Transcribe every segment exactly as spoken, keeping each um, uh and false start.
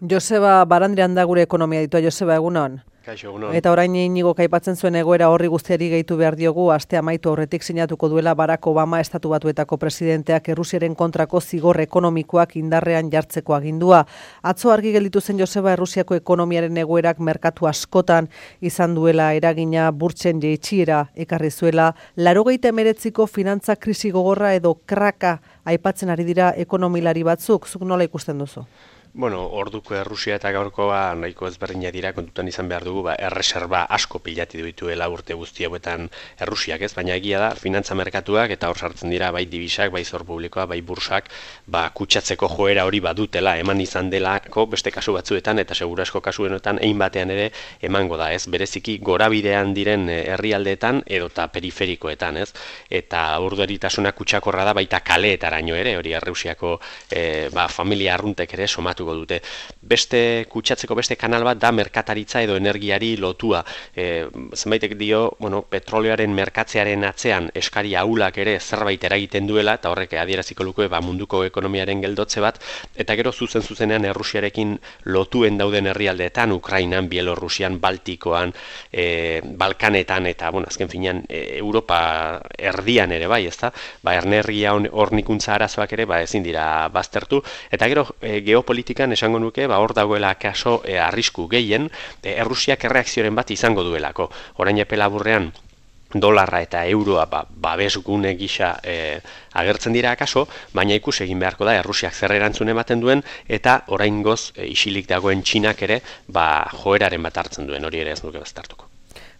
Joseba Barandiran da gure ekonomia ditua. Joseba, egunon. Kaixo, egunon. Eta orain Inigo aipatzen zuen egoera horri guztiari gehitu behar diogu, aste amaitu aurretik sinatuko duela Barack Obama Estatu Batuetako presidenteak Errusiaren kontrako zigor ekonomikoak indarrean jartzeko agindua. Atzo argi gelditu zen Joseba Errusiako ekonomiaren egoerak merkatu askotan izan duela eragina, burtsen jaitsiera ekarri zuela, laurogeita hemeretziko finantza krisi gogorra edo kraka aipatzen ari dira ekonomilari batzuk. Zuk nola ikusten duzu? Bueno, orduko Errusia eta gaurkoa nahiko ezberdina dira, kontutan izan behar dugu, ba, erreserba asko pilati dituela urte guzti hauetan Errusiak, ez? Baina egia da, finantza merkatuak eta hor sartzen dira bai dibisak, bai zor publikoa, bai bursak, ba, kutsatzeko joera hori badutela, eman izan delako beste kasu batzuetan eta segurasko kasuenetan ein batean ere emango da, ez? Bereziki gorabidean diren herrialdeetan edota periferikoetan, ez? Eta urduritasuna kutsakorra da baita kaleetaraino ere, hori Errusiako e, ba, familia arruntek ere somatu dute. Beste kutsatzeko beste kanal bat da merkataritza edo energiari lotua. E, zenbaitek dio, bueno, petroleoaren merkatzearen atzean eskari ahulak ere zerbait eragiten duela, eta horrek adieraziko luke ba, munduko ekonomiaren geldotze bat, eta gero zuzen zuzenean Errusiarekin lotuen dauden herrialdeetan, Ukrainan, Bielorrusian, Baltikoan, e, Balkanetan, eta, bueno, azken finean, e, Europa erdian ere bai, ezta? Ba, ernergia hornikuntza arazoak ere, ba, ezin dira baztertu, eta gero e, geopolitika esango nuke, ba, hor dagoela kaso e, arrisku gehien, e, Errusiak erreakzioren bat izango duelako. Orain epe laburrean, dolarra eta euroa ba, babesgune gisa e, agertzen dira akaso, baina ikus egin beharko da Errusiak zer erantzun ematen duen, eta oraingoz e, isilik dagoen Txinak ere ba, joeraren bat hartzen duen, hori ere ez nuke baztertuko.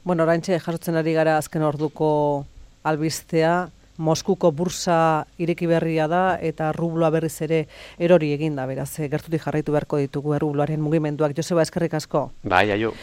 Bueno, oraintxe jasotzen ari gara azken orduko albistea, Moskuko bursa ireki berria da eta rubloa berriz ere erori egin da, beraz, gertutik jarraitu beharko ditugu rubloaren mugimenduak. Joseba, eskerrik asko. Bai, aio.